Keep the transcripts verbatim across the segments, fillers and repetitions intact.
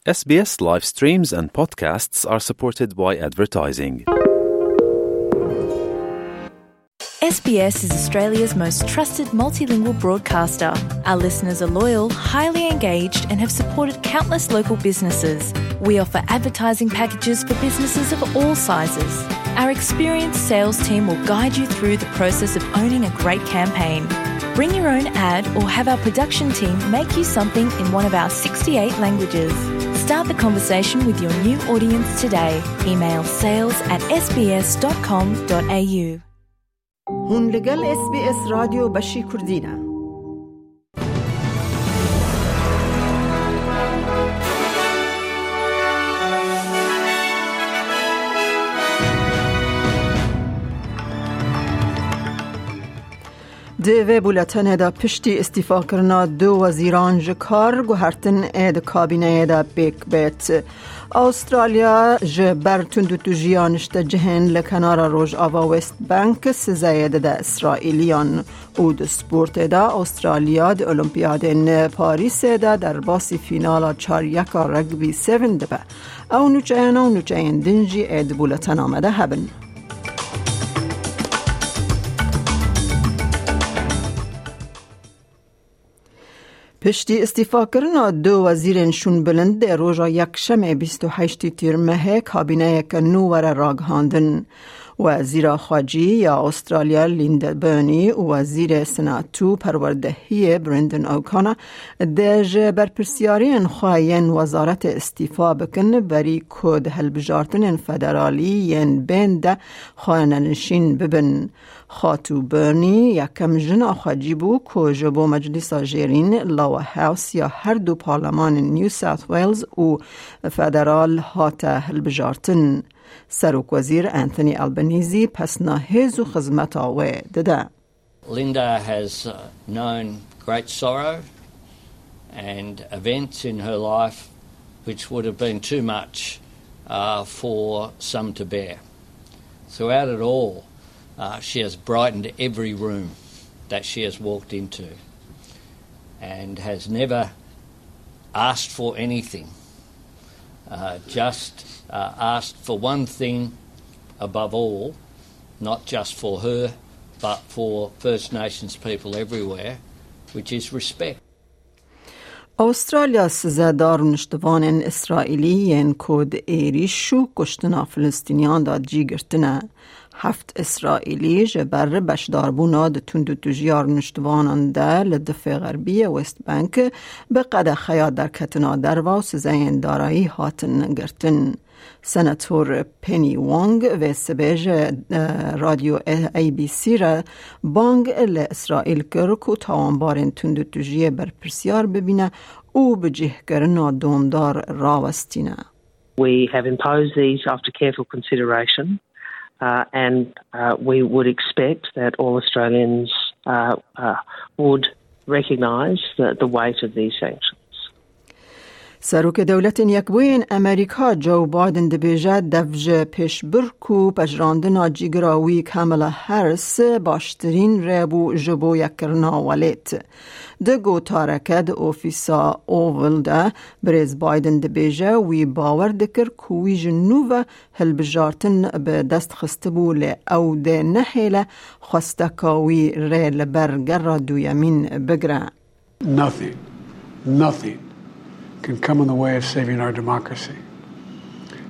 S B S live streams and podcasts are supported by advertising. S B S is Australia's most trusted multilingual broadcaster. Our listeners are loyal, highly engaged, and have supported countless local businesses. We offer advertising packages for businesses of all sizes. Our experienced sales team will guide you through the process of owning a great campaign. Bring your own ad or have our production team make you something in one of our sixty-eight languages. Start the conversation with your new audience today. Email sales at S B S dot com dot A U. Hûn li gel S B S Radyo Beşî Kurdî ne. Di vê bûletenê de piştî îstîfakirina du wezîran ji kar, guhertin ê di kabîneyê de pêk bêt. Australya ji ber tundûtûjiya niştecihên li kenara Rojava West Bank sizeyê dide Îsraîliyan û di sportê de Australya di Olimpiyadên Parîsê de derbasî fînala çar yeka Rugby Seven dibe. Ew nûçeyana û nûçeyên din jî ê di bûletena me de hebin. Piştî îstîfakirina du wezîrên şûnbilindê roja Yekşemê bîst û heştê Tîrmehê kabîneyeke nû were ragihandin. Wezîra Xwecî ya Australya Linda Burney û Wezîrê Senat û Perwerdehiyê Brendan O'Connor dê ji berpirsiyariyên xwe yên wezaretê îstîfa bikin, berî ku di hilbijartinên federalî yên bên de xanenişîn bibin. Xatû Burney yekem jina xwecî bû ku ji bo Meclîsa Jêrîn, Lower House, ya her du parlemanên New South Wales û federal hate hilbijartin. Serokwezîr Anthony Albanese pesna hêz û xizmeta wê dide. Linda has uh, known great sorrow and events in her life which would have been too much uh, for some to bear. Throughout it all, uh, she has brightened every room that she has walked into and has never asked for anything, uh, just uh, asked for one thing above all, not just for her, but for First Nations people everywhere, which is respect. Australya size da rûniştivanên Îsraîlî yên ku di êrîş û kuştina Filistîniyan de cî girtine. Heft Îsraîlî ji ber beşdarbûna di tundûtûjiya rûniştivanan de li difê xerbî yê West Bank bi qedexeya derketina derve û sizeyên darayî hatin girtin. Senator Penny Wong vê sibê ji, e, Radyo A B C re bang li Îsraîl kir ku tawanbarên tundûtûjiyê berpirsiyar bibîne û bi cihkirina domdar rawestîne. We have imposed these after careful consideration, uh, and, uh, we would expect that all Australians, uh, uh, would recognise the, the weight of these sanctions. Serokê Dewletên Yekbûyên Amerîka Joe Biden dibêje, dev ji pêşbirk û pejirandina cîgira wî Kamala Harris baştirîn rê bû ji bo yekkirina welêt. Di gotareke di ofîsa Oval de birêz Biden dibêje, wî bawer dikir ku wî ji nû ve hilbijartin bi dest xistibû, lê ew dê nehêle xwesteka wî rê li ber gera duyemîn bigire. Nothing, nothing can come in the way of saving our democracy.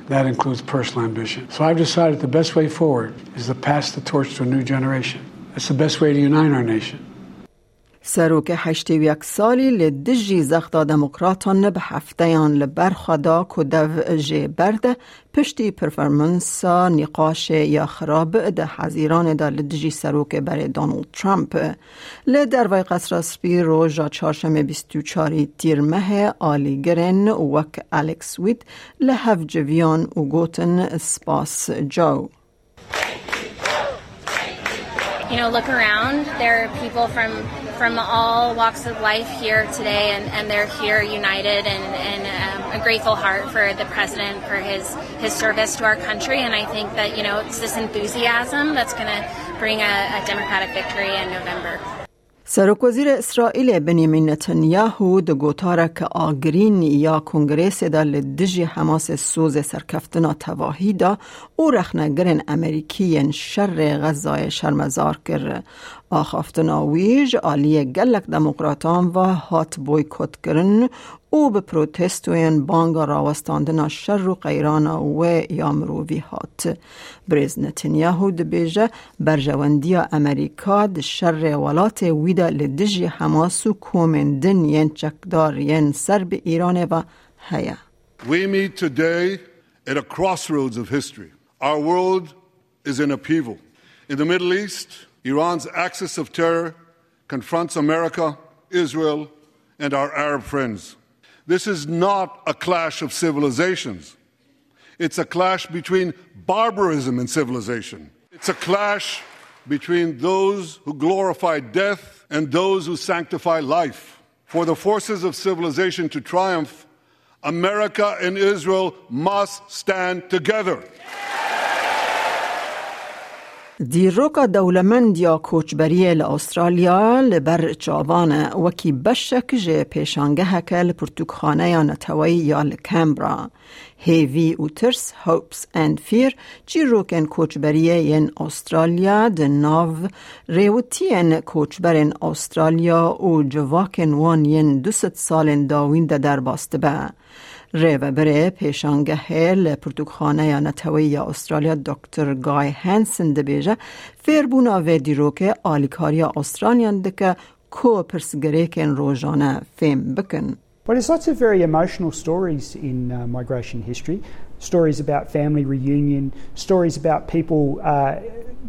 That includes personal ambition. So I've decided the best way forward is to pass the torch to a new generation. That's the best way to unite our nation. Serokê heştê û yek salî li dijî zexta demokratan bi hefteyan li ber xwe da ku dev jê berde, piştî performansa nîqaşê ya xirab di Hezîranê de li dijî serokê berê Donald Trump. Li dervayî Qesra Spî roja çarşemê bîst û çarî Tîrmehê alîgirên wek Alex Witt li hev civiyan û gotin, "Spas Joe." You know, look around. There are people from, from all walks of life here today, and, and they're here united and, and, um, a grateful heart for the president for his, his service to our country. And I think that, you know, it's this enthusiasm that's gonna bring a, a democratic victory in November. Serokwezîrê Îsraîlê Benyamin Netanyahu di gotareke agirîn ya Kongresê de li dijî Hamasê sozê serkeftina tevahî da û rexnegirên Amerîkî yên şerê Xezayê şermezar kir. Axaftina wî ji aliyê gelek demokratan ve hat boykotkirin û bi protestoyên banga rawestandina şer û qeyrana wê ya mirovî hat. Birêz Netanyahu dibêje, berjewendiya Amerîka di şerê welatê wî de li dijî Hamas û komên din yên çekdar yên ser bi Îranê ve heye. We meet today at a crossroads of history. Our world is in upheaval. In the Middle East, Iran's axis of terror confronts America, Israel, and our Arab friends. This is not a clash of civilizations. It's a clash between barbarism and civilization. It's a clash between those who glorify death and those who sanctify life. For the forces of civilization to triumph, America and Israel must stand together. Dîroka dewlemend ya koçberiyê li Astralya li ber çavan e, wekî beşek ji pêşangeheke li pirtûkxaneya neteweyî ya li Canberra. Hêvî û tirs, hopes and fear, çîrokên koçberiyê yên Astralya di nav rêwitiyên koçberên Astralya û civakên wan yên du sed salên dawîn de derbas dibe. Rêvebirê pêşangehê li Pirtûkxaneya Neteweyî ya Astralya Doktor Guy Hansen dibêje, fêrbûna vê dîrokê alîkariya Astralyan dike ku pirsgirêkên rojane fêm bikin. Well, there's lots of very emotional stories in uh, migration history. Stories about family reunion, stories about people uh,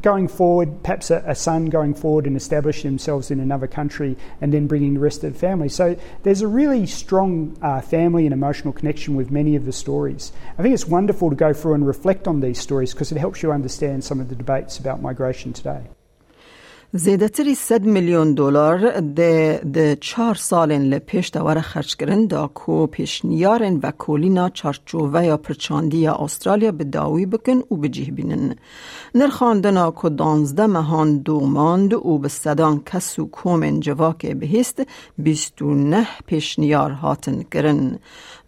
going forward, perhaps a, a son going forward and establishing themselves in another country and then bringing the rest of the family. So there's a really strong uh, family and emotional connection with many of the stories. I think it's wonderful to go through and reflect on these stories because it helps you understand some of the debates about migration today. Zêdetirî sed milyon dolar dê di çar salên li pêş de were xerckirin, da ku pêşniyarên vekolîna çarçoveya pirçandî ya Astralya bi dawî bikin û bi cih bînin. Nirxandina ku danzdeh mehan domand û bi sedan kes û komên civakê bihîst, bîst û neh pêşniyar hatin kirin.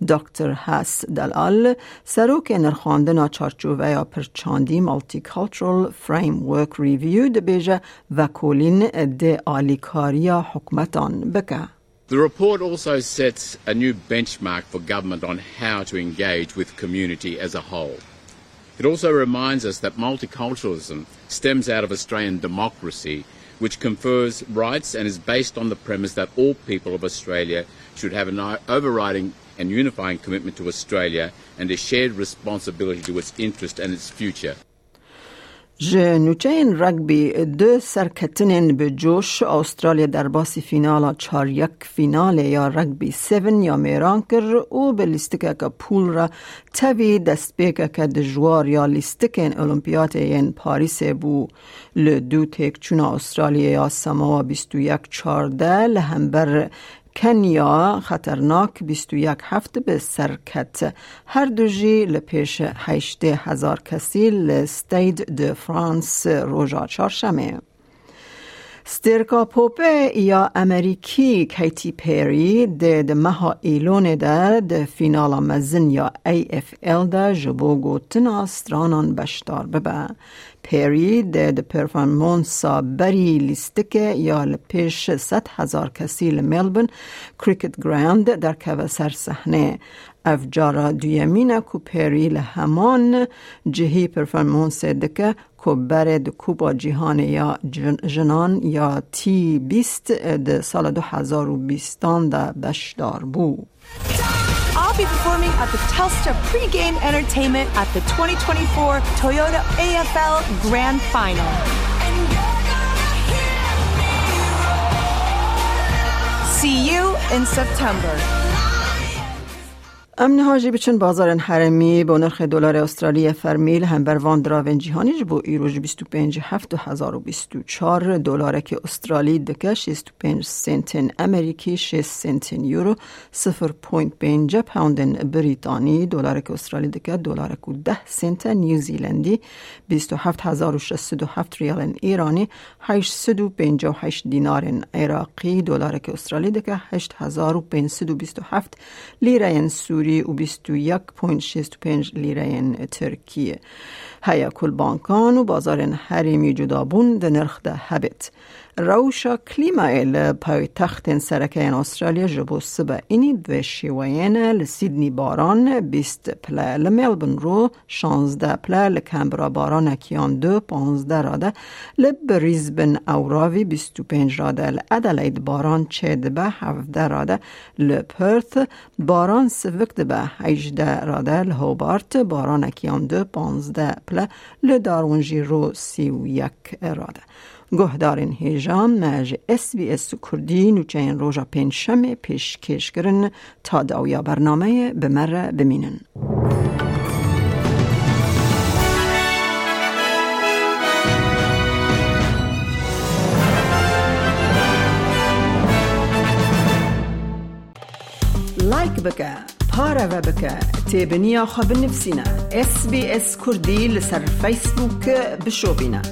Doktor Has Dalal, serokê nirxandina çarçoveya pirçandî Multicultural Framework Review, dibêje vekolîn dê alîkariya hikûmetan bike. The report also sets a new benchmark for government on how to engage with community as a whole. It also reminds us that multiculturalism stems out of Australian democracy, which confers rights and is based on the premise that all people of Australia should have an o- overriding and unifying commitment to Australia and a shared responsibility to its interest and its future. Ji nûçeyên rugby du serketinên bi coş, Astralya derbasî fînala çar yek fînalê ya rugby seven ya mêran kir û bi lîstikeke pûl re tevî destpêkeke dijwar ya lîstikên Olimpiyatê yên Parîsê bû. Li dû têkçûna Astralyê ya semawa bîst û yek çardeh li hember Kenya xeternak bîst û yek heft bi ser ket. Her du jî li pêş heştê hezar kesî li Stade de France roja çarşemê. Stêrka popê ya Amerîkî Katy Perry dê di meha Îlonê de di fînala mezin ya A F L de ji bo gotina stranan beşdar bibe. Perry dê di performansa berî lîstikê ya li pêş sed hezar kesî li Melbourne Cricket Ground derkeve ser sehnê. Ev cara duyemîn e ku Perry li heman cihî performansê dike ku berê di Kupa Cîhanê ya Jin- Jinan ya T bîst di sala du hezar û bîstan de beşdar bû. I'll be performing at the Telstra pregame entertainment at the twenty twenty-four Toyota A F L Grand Final. See you in September. Em niha jî biçin bazarên herêmî. Bo nirxê dolarê Australiyê fermî li hember van diravên cîhanî, ji bo îro ji bîst û pênc heft du hezar û bîst û çar, dolarekî Australî dike şêst û pênc sentên Amerîkî, şêst sentên Euro, sifir point pênc poundên Brîtanî, dolarekî Australî dike dolarek û deh sente New Zealandî, bîst û heft hezar û şeş sed û heft riyalên Îranî, heşt sed û pêncî û heşt dînarên Iraqî, dolarekî Australî dike heşt hezar û pênc sed û bîst û heft lîreyên Sûrî û bîst û yek point şêst û pênc lîreyên Tirkî. Heye ku li bankan û bazarên herêmî cudabûn di nirx de hebêt. Rewşa klîmayê li paytextên sereke yên Australya ji bo sibe înî di vê şêweyê ne: li Sydney baran bîst pile, li Melbourne ro şazdeh pile, li Canberra baranekî yan du, panzdeh rade, li Brisbane ewravî bîst û pênc rade, li Adelaide baran çêdibe, hevdeh rade, li Perth baran sivik dibe, hejdeh rade, li Hobart baranekî yan du, panzdeh pile, li Darwin jî ro sî û yek rade. Guhdarên hêja, me ji S B S Kurdî nûçeyên roja pêncşemê pêşkêş kirin. Ta dawiya bernameyê bi me re bimînin. Like bike, pareve bike, têbiniya xwe binivîsîne. S B S Kurdî li ser Facebook bişopîne.